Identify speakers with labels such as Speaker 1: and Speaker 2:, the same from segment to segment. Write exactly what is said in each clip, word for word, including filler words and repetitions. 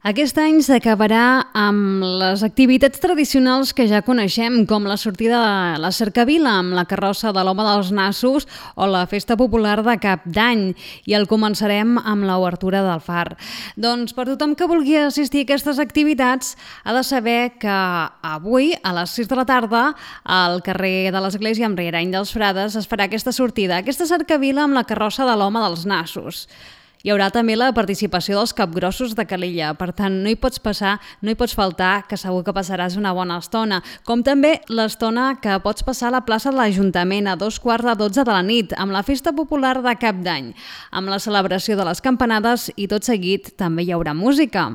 Speaker 1: Aquest any s'acabarà amb les activitats tradicionals que ja coneixem, com la sortida de la cercavila amb la carrossa de l'Home dels Nassos o la festa popular de Cap d'Any, i el començarem amb l'obertura del far. Doncs per tothom que vulgui assistir a aquestes activitats ha de saber que avui a les sis de la tarda al carrer de l'Església amb Riarany dels Frares es farà aquesta sortida, aquesta cercavila amb la carrossa de l'Home dels Nassos. Hi haurà també la participació dels capgrossos de Calella, per tant no hi pots passar, no hi pots faltar, que segur que passaràs una bona estona, com també l'estona que pots passar a la plaça de l'Ajuntament a dos quarts de dotze de la nit, amb la festa popular de Cap d'Any, amb la celebració de les campanades i tot seguit també hi haurà música.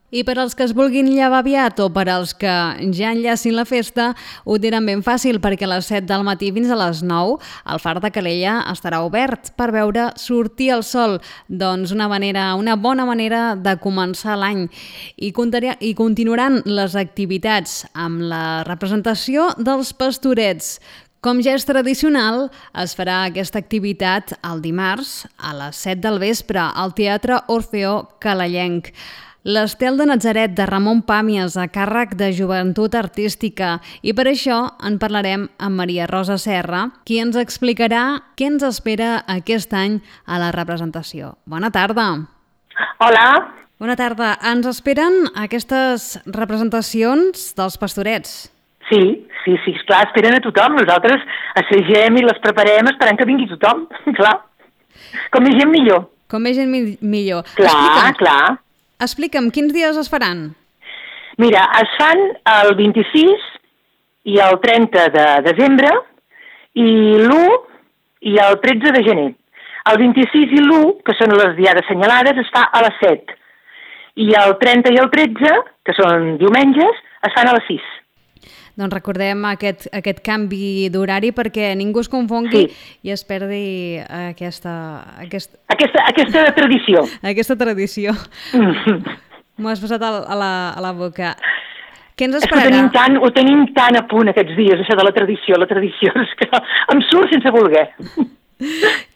Speaker 1: I per als que es vulguin llevar aviat o per als que ja enllacin la festa, ho tenen ben fàcil, perquè a les set del matí fins a les nou el far de Calella estarà obert per veure sortir el sol. Doncs una manera, una bona manera de començar l'any. I, I continuaran les activitats amb la representació dels Pastorets. Com ja és tradicional, es farà aquesta activitat el dimarts a les set del vespre al Teatre Orfeó Calellenc. L'Estel de Natzaret de Ramon Pàmies a càrrec de Joventut Artística, i per això en parlarem amb Maria Rosa Serra, qui ens explicarà què ens espera aquest any a la representació. Bona tarda.
Speaker 2: Hola.
Speaker 1: Bona tarda. Ens esperen aquestes representacions dels Pastorets?
Speaker 2: Sí, sí, sí, esclar, esperen a tothom. Nosaltres assagem i les preparem esperant que vingui tothom, clar. Com més gent millor.
Speaker 1: Com més gent mi- millor.
Speaker 2: Clar,
Speaker 1: Explica'm.
Speaker 2: clar.
Speaker 1: Explica'm, quins dies es faran?
Speaker 2: Mira, es fan el vint-i-sis i el trenta de desembre i l'u i el tretze de gener. El vint-i-sis i l'u, que són les diades assenyalades, es fa a les set. I el trenta i el tretze, que són diumenges, es fan a les sis.
Speaker 1: Doncs recordem aquest, aquest canvi d'horari perquè ningú es confongui
Speaker 2: Sí.
Speaker 1: i es perdi aquesta, aquest,
Speaker 2: Aquesta, aquesta tradició.
Speaker 1: aquesta tradició.
Speaker 2: Mm.
Speaker 1: M'ho has posat a la, a la boca. Què ens
Speaker 2: És que ho
Speaker 1: esperarà?
Speaker 2: tenim, tan, ho tenim tan a punt aquests dies, això de la tradició. La tradició és que em surt sense voler.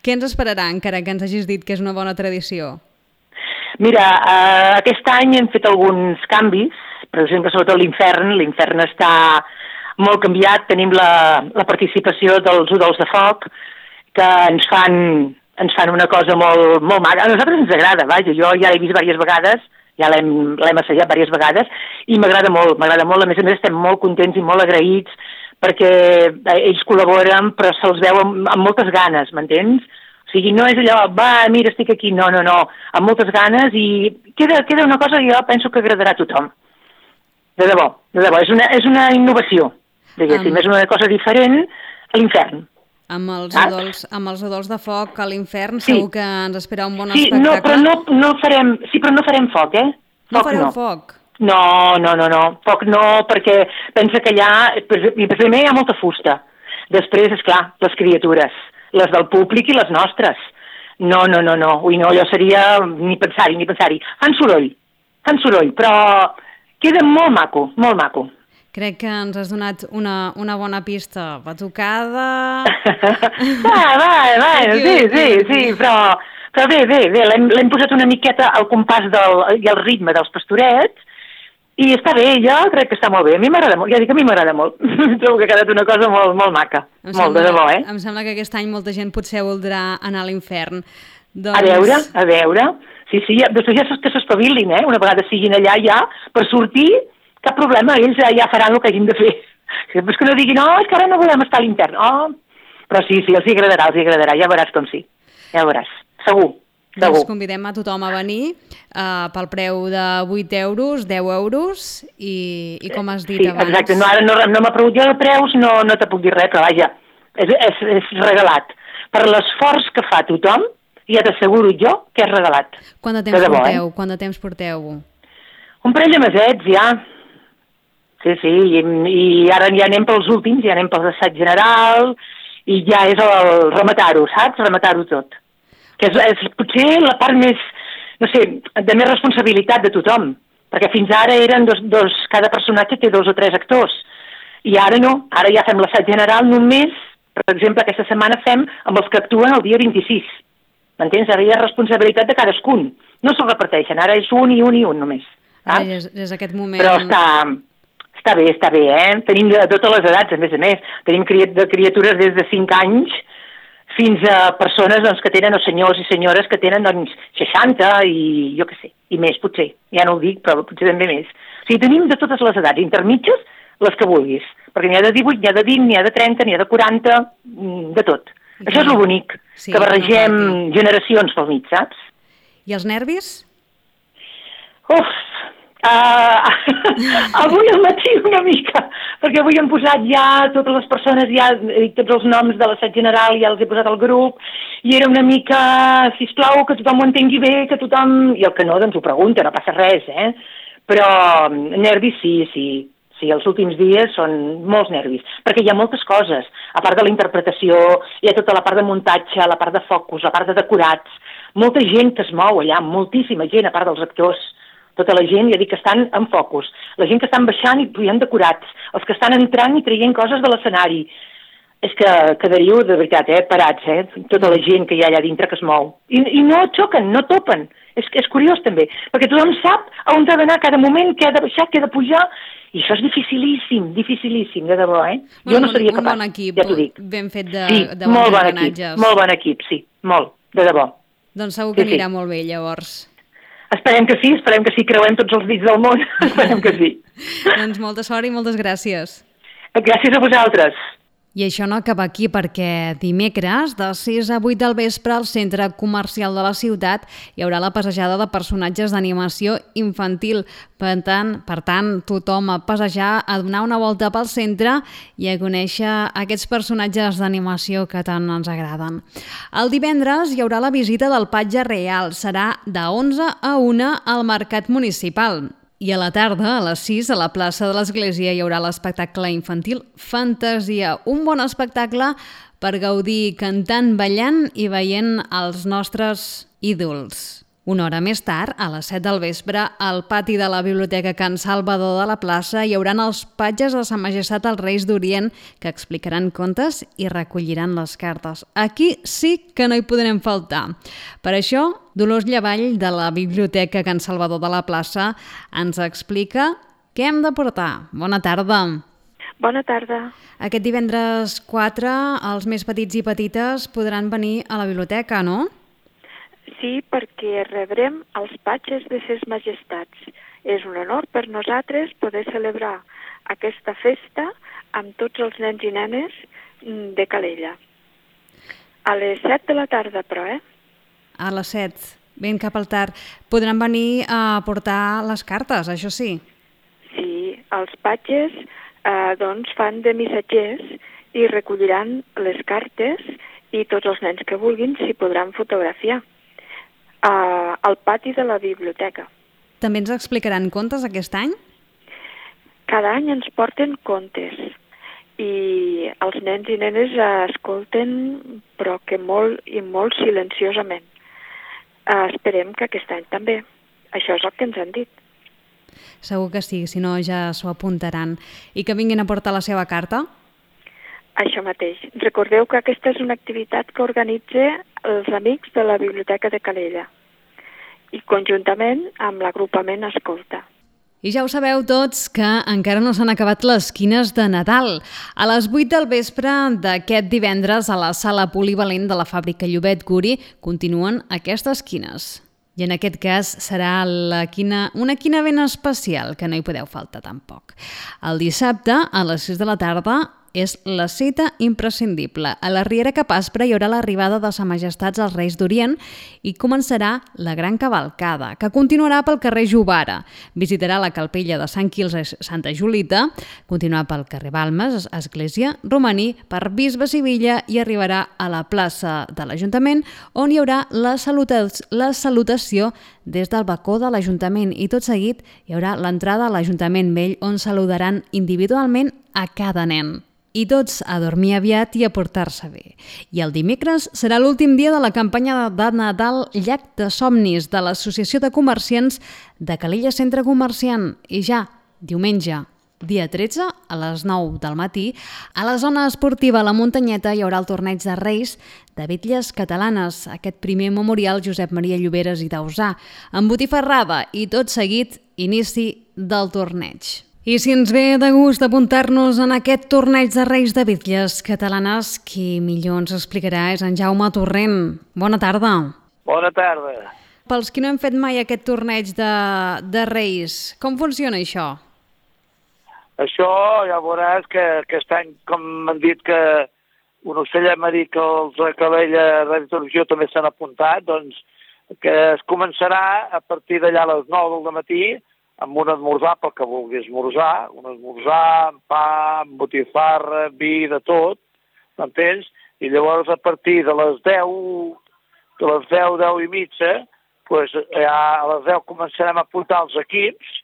Speaker 1: Què ens esperarà, encara que ens hagis dit que és una bona tradició?
Speaker 2: Mira, eh, aquest any hem fet alguns canvis, per exemple, sobretot l'infern. L'infern està molt canviat. Tenim la, la participació dels udols de foc, que ens fan, ens fan una cosa molt, molt maca. A nosaltres ens agrada, vaja, jo ja l'he vist diverses vegades, ja l'hem l'hem assajat diverses vegades, i m'agrada molt, m'agrada molt. A més a més estem molt contents i molt agraïts, perquè ells col·laboren, però se'ls veu amb, amb moltes ganes, m'entens? O sigui, no és allò, va, mira, estic aquí, no, no, no, amb moltes ganes, i queda, queda una cosa que jo penso que agradarà a tothom. De debò, de debò, és una, és una innovació, diguéssim, um, és una cosa diferent a l'infern.
Speaker 1: Amb els,
Speaker 2: Ah.
Speaker 1: udols, amb els udols de foc a l'infern
Speaker 2: Sí.
Speaker 1: segur que ens espera un bon
Speaker 2: Sí,
Speaker 1: espectacle.
Speaker 2: no, però no, no farem, sí, però no farem foc, eh?
Speaker 1: No
Speaker 2: Foc
Speaker 1: fareu
Speaker 2: no.
Speaker 1: foc?
Speaker 2: No, no, no, no, foc no, perquè pensa que allà, primer hi ha molta fusta, després, és clar, les criatures, les del públic i les nostres. No, no, no, no, ui, no, allò seria ni pensar-hi, ni pensar-hi. Fan soroll, fan soroll, però queda molt maco, molt maco.
Speaker 1: Crec que ens has donat una, una bona pista. Batucada...
Speaker 2: va, va, va, sí, sí, sí, però, però bé, bé, bé, l'hem l'hem posat una miqueta al compàs del, i al ritme dels Pastorets, i està bé, jo crec que està molt bé. A mi m'agrada molt, ja dic que a mi m'agrada molt. Trobo que ha quedat una cosa molt, molt maca,
Speaker 1: Em
Speaker 2: molt
Speaker 1: sembla,
Speaker 2: de debò, eh?
Speaker 1: Em sembla que aquest any molta gent potser voldrà anar a l'infern. Doncs...
Speaker 2: A veure, a veure. Sí, sí, ja, després ja que s'espavilin, eh? Una vegada siguin allà ja, per sortir, cap problema, ells ja, ja faran el que hagin de fer. Després que no diguin, no, és que ara no volem estar a l'infern. Oh, però sí, sí, els hi agradarà, els hi agradarà, ja veuràs com sí. Ja veuràs, segur.
Speaker 1: Doncs
Speaker 2: Segur.
Speaker 1: convidem a tothom a venir uh, pel preu de vuit euros, deu euros i, i com has dit
Speaker 2: Sí,
Speaker 1: abans...
Speaker 2: exacte, no, ara no, no m'ha pregut jo de preus, no, no te puc dir res, però vaja, és, és, és regalat. Per l'esforç que fa tothom, ja t'asseguro jo que és regalat.
Speaker 1: Quant de temps
Speaker 2: de debò,
Speaker 1: porteu?
Speaker 2: Eh?
Speaker 1: Quant de temps porteu?
Speaker 2: Un parell de mesets, ja. Sí, sí, i, i ara ja anem pels últims, ja anem pels assaig general, i ja és el rematar-ho, saps? Rematar-ho tot. Que és, és potser la part més, no sé, de més responsabilitat de tothom, perquè fins ara eren dos, dos, cada personatge té dos o tres actors, i ara no, ara ja fem l'assaig general només, per exemple, aquesta setmana fem amb els que actuen el dia vint-i-sis, m'entens? Ara hi ha responsabilitat de cadascun, no se'l reparteixen, ara és un i un i un només.
Speaker 1: Ai, és, és aquest moment...
Speaker 2: Però està, està bé, està bé, eh? Tenim de, de totes les edats, a més a més. Tenim cri de criatures des de cinc anys fins a persones doncs, que tenen, o senyors i senyores que tenen doncs, seixanta i jo què sé, i més potser. Ja no ho dic, però potser també més. O sigui, tenim de totes les edats, intermitges, les que vulguis. Perquè n'hi ha de divuit, n'hi ha de vint, n'hi ha de trenta, n'hi ha de quaranta, de tot. I això és el bonic, sí, que barregem no, generacions pel mig, saps?
Speaker 1: I els nervis?
Speaker 2: Uf! Uh, avui al matí una mica, perquè avui hem posat ja totes les persones, ja tots els noms de l'assaig general ja els he posat al grup, i era una mica, sisplau, que tothom ho entengui bé, que tothom... I el que no, doncs ho pregunta, no passa res, eh? Però nervis sí, sí, sí, els últims dies són molts nervis, perquè hi ha moltes coses, a part de la interpretació, hi ha tota la part de muntatge, la part de focus, la part de decorats, molta gent que es mou allà, moltíssima gent, a part dels actors, tota la gent, ja dic que estan en focus, la gent que estan baixant i pujant decorats, els que estan entrant i traient coses de l'escenari. És que quedaríeu, de veritat, eh, parats, eh, tota la gent que hi ha allà dintre que es mou. I, i no xoquen, no topen. És, és curiós també, perquè tothom sap on ha d'anar cada moment, què ha de baixar, què ha de pujar, i això és dificilíssim, dificilíssim, de debò, eh?
Speaker 1: Bueno,
Speaker 2: jo no seria
Speaker 1: capaç,
Speaker 2: un
Speaker 1: bon equip,
Speaker 2: ja t'ho dic.
Speaker 1: Ben fet de,
Speaker 2: sí,
Speaker 1: de
Speaker 2: molt bon equip, molt bon equip, sí, molt, de debò.
Speaker 1: Doncs segur que
Speaker 2: sí,
Speaker 1: anirà
Speaker 2: sí.
Speaker 1: molt bé, llavors.
Speaker 2: Esperem que sí, esperem que sí, creuem tots els dits del món, esperem que sí.
Speaker 1: Doncs molta sort i moltes gràcies.
Speaker 2: Gràcies a vosaltres.
Speaker 1: I això no acaba aquí perquè dimecres, de sis a vuit del vespre, al centre comercial de la ciutat hi haurà la passejada de personatges d'animació infantil. Per tant, per tant, tothom a passejar, a donar una volta pel centre i a conèixer aquests personatges d'animació que tant ens agraden. El divendres hi haurà la visita del Patge Real. Serà de onze a una al Mercat Municipal. I a la tarda, a les sis, a la plaça de l'Església hi haurà l'espectacle infantil Fantasia, un bon espectacle per gaudir cantant, ballant i veient els nostres ídols. Una hora més tard, a les set del vespre, al pati de la Biblioteca Can Salvador de la plaça hi hauran els patges de Sa Majestat els Reis d'Orient que explicaran contes i recolliran les cartes. Aquí sí que no hi podrem faltar. Per això, Dolors Llavall, de la Biblioteca Can Salvador de la plaça, ens explica què hem de portar. Bona tarda.
Speaker 3: Bona tarda.
Speaker 1: Aquest divendres quatre, els més petits i petites podran venir a la biblioteca, no?
Speaker 3: Sí, perquè rebrem els patges de ses majestats. És un honor per nosaltres poder celebrar aquesta festa amb tots els nens i nenes de Calella. A les set de la tarda, però, eh?
Speaker 1: A les set, ben cap al tard. Podran venir a portar les cartes, això sí?
Speaker 3: Sí, els patges eh, doncs fan de missatgers i recolliran les cartes i tots els nens que vulguin s'hi podran fotografiar. Uh, al pati de la biblioteca.
Speaker 1: També ens explicaran contes aquest any?
Speaker 3: Cada any ens porten contes i els nens i nenes escolten, però que molt i molt silenciosament. Uh, esperem que aquest any també. Això és el que ens han dit.
Speaker 1: Segur que sí, si no ja s'ho apuntaran. I que vinguin a portar la seva carta?
Speaker 3: Això mateix. Recordeu que aquesta és una activitat que organitza els amics de la Biblioteca de Calella i conjuntament amb l'agrupament Escolta.
Speaker 1: I ja ho sabeu tots que encara no s'han acabat les quines de Nadal. A les vuit del vespre d'aquest divendres a la sala polivalent de la fàbrica Llobet Guri continuen aquestes quines. I en aquest cas serà la quina, una quina ben especial, que no hi podeu faltar tampoc. El dissabte, a les sis de la tarda, és la cita imprescindible. A la Riera Capaspre hi haurà l'arribada de Sa Majestats als Reis d'Orient i començarà la gran cavalcada, que continuarà pel carrer Jovara. Visitarà la Calpella de Sant Quils i Santa Julita, continuarà pel carrer Balmes, Església, Romaní, per Bisbe Sivilla i arribarà a la plaça de l'Ajuntament, on hi haurà la, saluta la salutació des del balcó de l'Ajuntament i tot seguit hi haurà l'entrada a l'Ajuntament Vell on saludaran individualment a cada nen. I tots a dormir aviat i a portar-se bé. I el dimecres serà l'últim dia de la campanya de Nadal Llac de Somnis de l'Associació de Comerciants de Calella Centre Comerciant. I ja, diumenge, dia tretze, a les nou del matí, a la zona esportiva La Muntanyeta hi haurà el torneig de Reis de bitlles catalanes, aquest primer memorial Josep Maria Lloberes i Dausà, amb botifarrada i tot seguit inici del torneig. I si ens ve de gust apuntar-nos en aquest torneig de Reis de bitlles catalanes, qui millor ens explicarà és en Jaume Torrent. Bona tarda.
Speaker 4: Bona tarda.
Speaker 1: Pels qui no hem fet mai aquest torneig de, de Reis, com funciona això?
Speaker 4: Això ja veuràs que aquest any, com m'han dit que un ocell m'ha dit que els de Calella de Televisió també s'han apuntat, doncs que es començarà a partir d'allà a les nou del matí amb un esmorzar pel que vulgui esmorzar, un esmorzar amb pa, amb botifarra, vi, de tot, m'entens? I llavors a partir de les deu, de les deu, deu i mitja, doncs ja a les deu començarem a apuntar els equips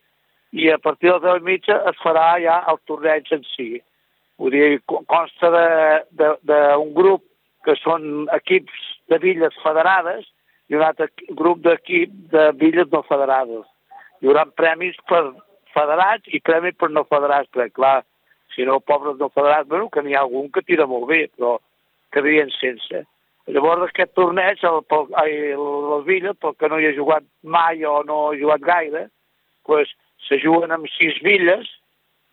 Speaker 4: i a partir de les deu i mitja es farà ja el torneig en si. Vull dir, consta d'un grup que són equips de billes federades i un altre grup d'equip de billes no federades. Hi haurà premis per federats i premis per no federats, perquè clar, si no, pobres no federats, bueno, que n'hi ha algun que tira molt bé, però quedarien sense. Llavors aquest torneig, el, el, les billes, pel que no hi ha jugat mai o no ha jugat gaire, doncs se juguen amb sis billes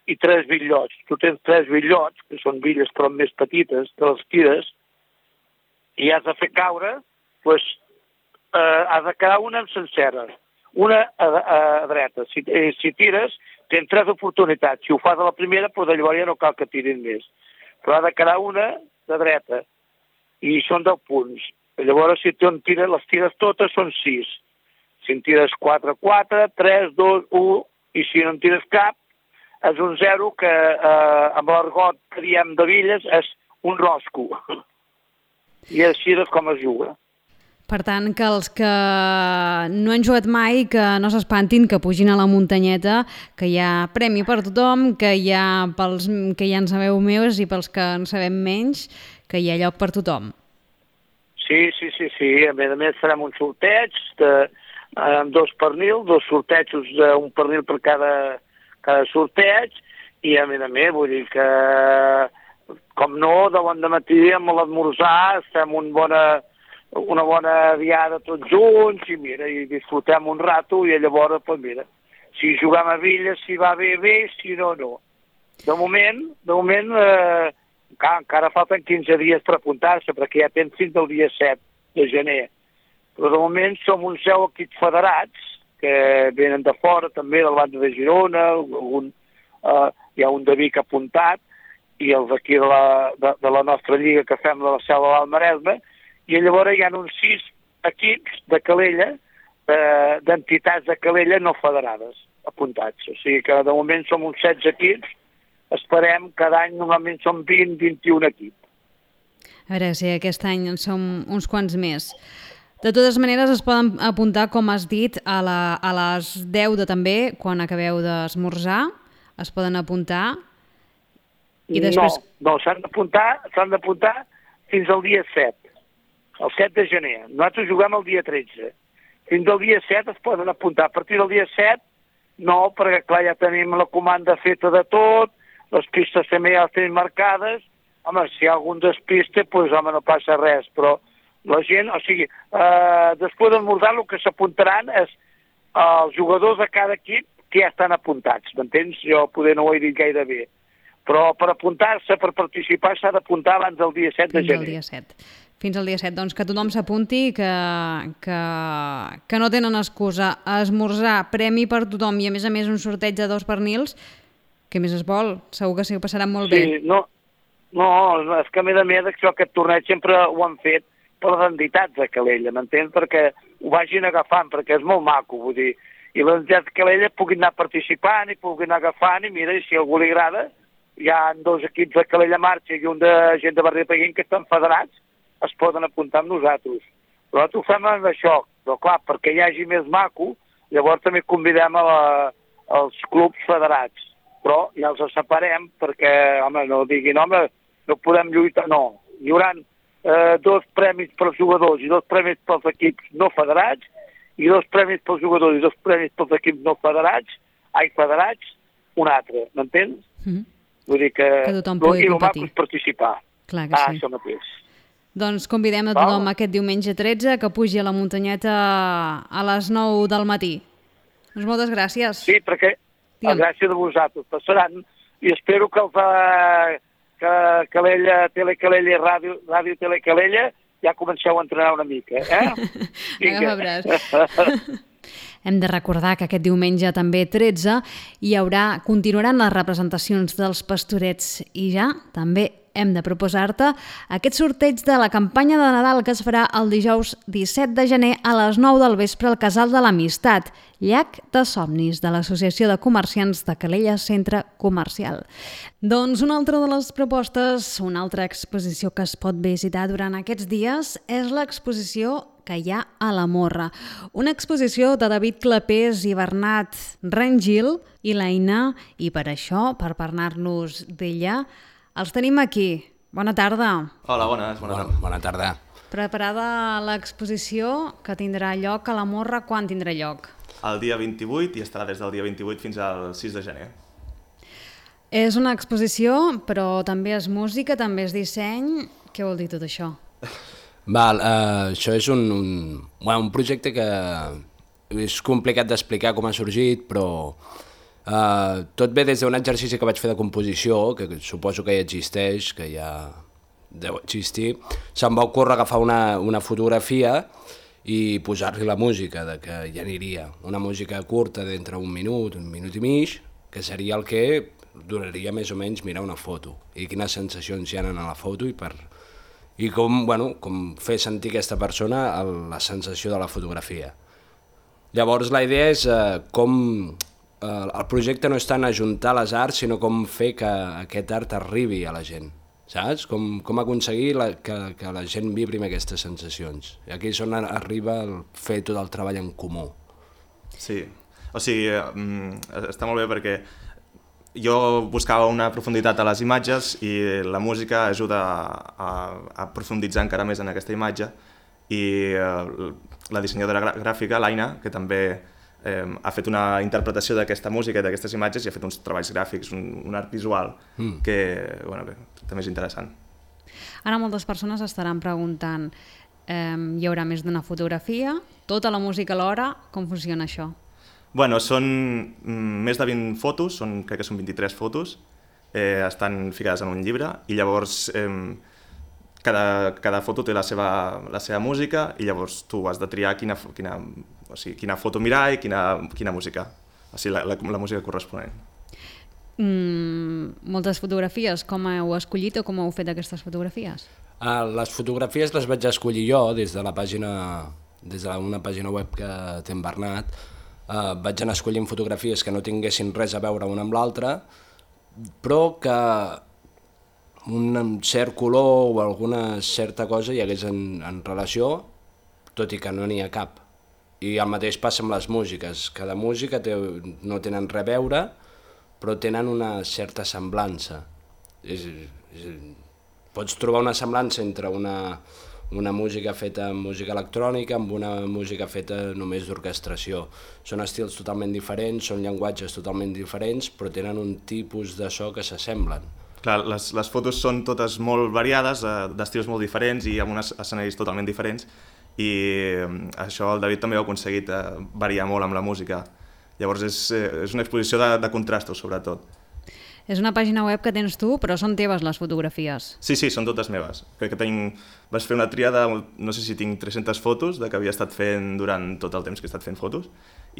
Speaker 4: i tres bitllots. Tu tens tres bitllots, que són billes però més petites, te les tires, i has de fer caure, doncs eh, has de quedar una en sencera. Una a, a, a dreta. Si, eh, si tires, tens tres oportunitats. Si ho fas a la primera, doncs llavors ja no cal que tirin més. Però ha de quedar una de dreta. I són deu punts. Llavors, si tu en tires, les tires totes, són sis. Si en tires quatre, quatre, tres, dos, u, i si no en tires cap, és un zero que eh, amb l'argot que diem de billes és un rosco. I així és com es juga.
Speaker 1: Per tant, que els que no han jugat mai, que no s'espantin, que pugin a la muntanyeta, que hi ha premi per tothom, que hi ha pels que ja en sabeu més i pels que en sabem menys, que hi ha lloc per tothom.
Speaker 4: Sí, sí, sí, sí. A més a més farem un sorteig de, amb dos pernils, dos sortejos d'un pernil per cada, cada sorteig, i a més a més vull dir que, com no, de bon matí amb l'esmorzar fem un bona... una bona diada tots junts i mira, i disfrutem un rato i llavors, doncs mira, si juguem a Villes, si va bé, bé, si no, no. De moment, de moment, eh, encara, encara falten quinze dies per apuntar-se, perquè ja tens fins al dia set de gener. Però de moment som uns deu equips federats, que venen de fora també, del banda de Girona, algun, eh, hi ha un de Vic apuntat, i els d'aquí de, la, de, de la nostra lliga que fem de la Selva del Maresme, i llavors hi ha uns sis equips de Calella, eh, d'entitats de Calella no federades, apuntats. O sigui que de moment som uns setze equips, esperem cada any normalment som vint, vint-i-un equips.
Speaker 1: A veure si aquest any en som uns quants més. De totes maneres es poden apuntar, com has dit, a, la, a les deu de també, quan acabeu d'esmorzar, es poden apuntar i després...
Speaker 4: No, no, s'han d'apuntar, s'han d'apuntar fins al dia set. El set de gener. Nosaltres juguem el dia tretze. Fins al dia set es poden apuntar. A partir del dia set, no, perquè clar, ja tenim la comanda feta de tot, les pistes també ja les tenim marcades. Home, si hi ha algun despiste, doncs home, no passa res, però la gent, o sigui, eh, després d'esmorzar el que s'apuntaran és els jugadors de cada equip que ja estan apuntats, m'entens? Jo poder no ho he dit gaire bé. Però per apuntar-se, per participar, s'ha d'apuntar abans del dia set de gener.
Speaker 1: Fins al dia set. Fins al dia set. Doncs que tothom s'apunti, que, que, que no tenen excusa. A esmorzar, premi per tothom i a més a més un sorteig de dos pernils, què més es vol? Segur que sí, ho passaran molt
Speaker 4: sí,
Speaker 1: bé.
Speaker 4: No, no, és que a més a més això, aquest torneig sempre ho han fet per les entitats de Calella, m'entens? Perquè ho vagin agafant, perquè és molt maco, vull dir. I les entitats de Calella puguin anar participant i puguin anar agafant i mira, i si a algú li agrada, hi ha dos equips de Calella Marxa i un de gent de Barri de Peguín que estan federats, es poden apuntar amb nosaltres. Però nosaltres ho fem amb això, però clar, perquè hi hagi més maco, llavors també convidem a la, als clubs federats. Però ja els separem perquè, home, no diguin, home, no podem lluitar, no. Hi haurà eh, dos premis pels jugadors i dos premis pels equips no federats i dos premis pels jugadors i dos premis pels equips no federats, ai, federats, un altre, m'entens?
Speaker 1: Mm.
Speaker 4: Vull dir que...
Speaker 1: Que tothom pugui
Speaker 4: I el
Speaker 1: competir.
Speaker 4: maco és participar.
Speaker 1: Clar que
Speaker 4: ah,
Speaker 1: sí.
Speaker 4: això mateix.
Speaker 1: Doncs convidem a
Speaker 4: Val.
Speaker 1: tothom aquest diumenge tretze que pugi a la muntanyeta a les nou del matí. Doncs moltes gràcies.
Speaker 4: Sí, perquè
Speaker 1: Digue'm.
Speaker 4: a gràcia de vosaltres passaran i espero que els de que Calella, Telecalella i Ràdio, Ràdio Telecalella ja comenceu a entrenar una mica, eh?
Speaker 1: Agafa braç. Hem de recordar que aquest diumenge també tretze hi haurà, continuaran les representacions dels Pastorets i ja també hem de proposar-te aquest sorteig de la campanya de Nadal que es farà el dijous disset de gener a les nou del vespre al Casal de l'Amistat, Llac de Somnis de l'Associació de Comerciants de Calella Centre Comercial. Doncs una altra de les propostes, una altra exposició que es pot visitar durant aquests dies és l'exposició que hi ha a la Morra. Una exposició de David Clapés i Bernat Rengil i l'Aina, i per això, per parlar-nos d'ella, els tenim aquí. Bona tarda.
Speaker 5: Hola, bones. Bona,
Speaker 6: bona, bona tarda.
Speaker 1: Preparada l'exposició que tindrà lloc a la Morra, quan tindrà lloc?
Speaker 5: El dia vint-i-vuit i estarà des del dia vint-i-vuit fins al sis de gener.
Speaker 1: És una exposició, però també és música, també és disseny. Què vol dir tot això?
Speaker 6: Val, uh, això és un, un, bueno, un projecte que és complicat d'explicar com ha sorgit, però uh, tot ve des d'un exercici que vaig fer de composició, que suposo que ja existeix, que ja deu existir. Se'm va ocórrer agafar una, una fotografia i posar-li la música, de que ja aniria. Una música curta d'entre un minut, un minut i mig, que seria el que duraria més o menys mirar una foto, i quines sensacions hi ha en la foto, i per... i com, bueno, com fer sentir aquesta persona el, la sensació de la fotografia. Llavors la idea és eh, com... Eh, el projecte no és tant ajuntar les arts, sinó com fer que aquest art arribi a la gent, saps? Com, com aconseguir la, que, que la gent vibri amb aquestes sensacions. I aquí és on arriba el fer tot el treball en comú.
Speaker 5: Sí, o sigui, eh, està molt bé perquè jo buscava una profunditat a les imatges i la música ajuda a, a profunditzar encara més en aquesta imatge, i eh, la dissenyadora gràfica, l'Aina, que també eh, ha fet una interpretació d'aquesta música i d'aquestes imatges i ha fet uns treballs gràfics, un, un art visual mm. que, bueno, bé, també és interessant.
Speaker 1: Ara moltes persones estaran preguntant, eh, hi haurà més d'una fotografia, tota la música alhora, com funciona això?
Speaker 5: Bueno, són més de vint fotos, són, crec que són vint-i-tres fotos, eh, estan ficades en un llibre, i llavors eh, cada, cada foto té la seva, la seva música, i llavors tu has de triar quina, quina, o sigui, quina foto mirar i quina, quina música, o sigui, la, la, la música corresponent.
Speaker 1: Mm, moltes fotografies, com heu escollit o com heu fet aquestes fotografies?
Speaker 6: Uh, les fotografies les vaig escollir jo des de la pàgina, des d'una pàgina web que té en Bernat. Uh, vaig anar escollint fotografies que no tinguessin res a veure una amb l'altra, però que un cert color o alguna certa cosa hi hagués en, en relació, tot i que no n'hi ha cap. I el mateix passa amb les músiques. Cada música té, no tenen res a veure, però tenen una certa semblança. És, és, pots trobar una semblança entre una... una música feta amb música electrònica, amb una música feta només d'orquestració. Són estils totalment diferents, són llenguatges totalment diferents, però tenen un tipus de so que s'assemblen.
Speaker 5: Clar, les, les fotos són totes molt variades, eh, d'estils molt diferents i amb uns escenaris totalment diferents, i eh, això el David també ho ha aconseguit eh, variar molt amb la música. Llavors és, eh, és una exposició de, de contrastos, sobretot.
Speaker 1: És una pàgina web que tens tu, però són teves les fotografies.
Speaker 5: Sí, sí, són totes meves. Crec que tinc... Vaig fer una tria de, no sé si tinc tres-centes fotos de que havia estat fent durant tot el temps que he estat fent fotos,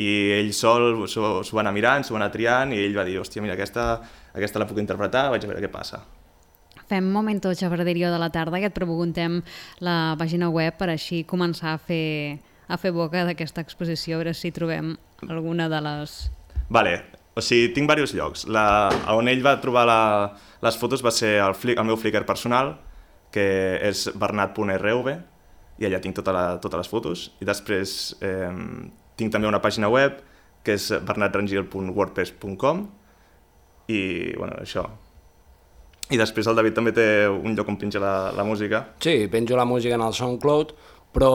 Speaker 5: i ell sol s'ho va anar mirant, s'ho va anar triant, i ell va dir, hòstia, mira, aquesta, aquesta la puc interpretar, vaig a veure què passa.
Speaker 1: Fem Momento Xafarderio de la tarda, que et preguntem la pàgina web per així començar a fer, a fer boca d'aquesta exposició, a veure si trobem alguna de les...
Speaker 5: Vale. O sigui, tinc diversos llocs. La, on ell va trobar la, les fotos va ser el, flic, el meu Flickr personal, que és bernat punt r v, i allà tinc tota la, totes les fotos. I després eh, tinc també una pàgina web, que és bernat rengil punt wordpress punt com, i bueno, això. I després el David també té un lloc on penja la, la música.
Speaker 6: Sí, penjo la música en el SoundCloud, però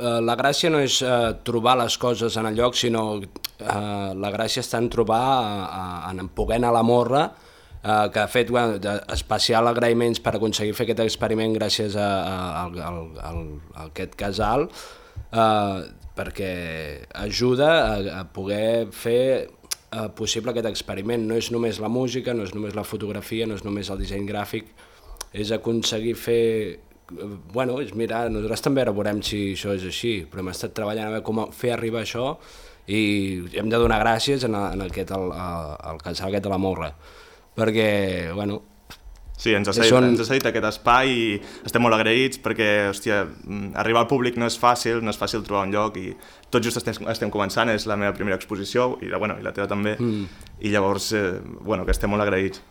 Speaker 6: eh, la gràcia no és eh, trobar les coses en el lloc, sinó eh, la gràcia està en trobar, eh, en poder anar a la morra, eh, que ha fet bueno, especial agraïments per aconseguir fer aquest experiment gràcies a, a, a, a, a, a aquest casal, eh, perquè ajuda a, a poder fer eh, possible aquest experiment. No és només la música, no és només la fotografia, no és només el disseny gràfic, és aconseguir fer... Bueno, és mirar, nosaltres també ara veurem si això és així, però hem estat treballant a veure com fer arribar això i hem de donar gràcies en, en aquest, el, el casal aquest de la Morra, perquè, bueno...
Speaker 5: Sí, ens ha cedit, són... ens ha cedit aquest espai i estem molt agraïts perquè, hòstia, arribar al públic no és fàcil, no és fàcil trobar un lloc i tot just estem, estem començant, és la meva primera exposició i la, bueno, i la teva també, mm. i llavors, eh, bueno, que estem molt agraïts.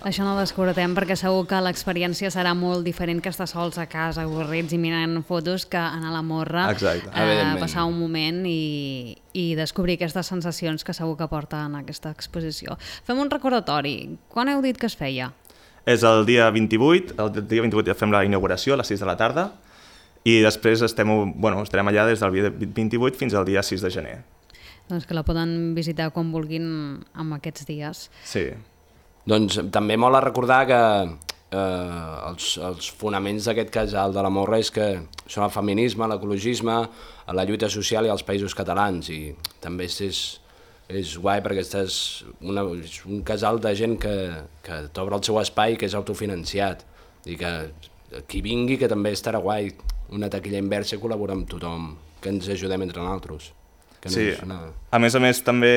Speaker 1: Això no ho descobratem perquè segur que l'experiència serà molt diferent que estar sols a casa, avorrits i mirant fotos, que anar a la Morra, eh, passar un moment i, i descobrir aquestes sensacions que segur que porta en aquesta exposició. Fem un recordatori. Quan heu dit que es feia?
Speaker 5: És el dia vint-i-vuit, el dia vint-i-vuit fem la inauguració a les sis de la tarda i després estem, bueno, estarem allà des del dia vint-i-vuit fins al dia sis de gener.
Speaker 1: Doncs que la poden visitar quan vulguin en aquests dies.
Speaker 5: Sí.
Speaker 6: Doncs també mola recordar que eh, els, els fonaments d'aquest casal de la Morra és que són el feminisme, l'ecologisme, la lluita social i els països catalans, i també és, és guai perquè estàs una, és un casal de gent que, que t'obre el seu espai, que és autofinanciat, i que qui vingui que també estarà guai, una taquilla inversa i col·laborar amb tothom, que ens ajudem entre nosaltres. Que no
Speaker 5: sí,
Speaker 6: una...
Speaker 5: a més a més també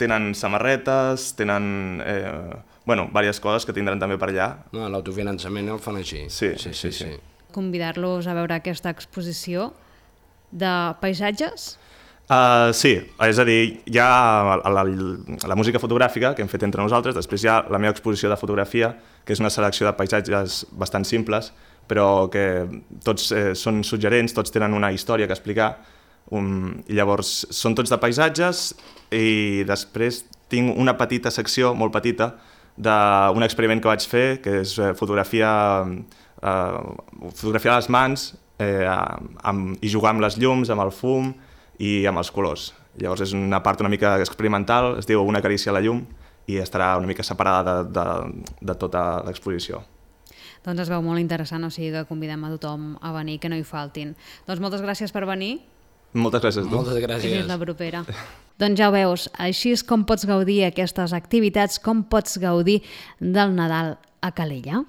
Speaker 5: tenen samarretes, tenen eh, bueno, diverses coses que tindran també per allà.
Speaker 6: No, l'autofinançament el fan així.
Speaker 5: Sí, sí, sí. sí. sí.
Speaker 1: Convidar-los a veure aquesta exposició de paisatges?
Speaker 5: Uh, sí, és a dir, hi ha la, la, la música fotogràfica que hem fet entre nosaltres, després hi ha la meva exposició de fotografia, que és una selecció de paisatges bastant simples, però que tots eh, són suggerents, tots tenen una història que explicar, Um, i llavors són tots de paisatges i després tinc una petita secció, molt petita, d'un experiment que vaig fer, que és eh, fotografia, eh, fotografia a les mans eh, amb, i jugar amb les llums, amb el fum i amb els colors. Llavors és una part una mica experimental, es diu Una carícia a la llum i estarà una mica separada de, de, de tota l'exposició.
Speaker 1: Doncs es veu molt interessant, o sigui que convidem a tothom a venir, que no hi faltin. Doncs moltes gràcies per venir.
Speaker 5: Moltes gràcies a tu.
Speaker 6: Moltes gràcies.
Speaker 1: Fins la propera. Doncs ja ho veus, així és com pots gaudir aquestes activitats, com pots gaudir del Nadal a Calella.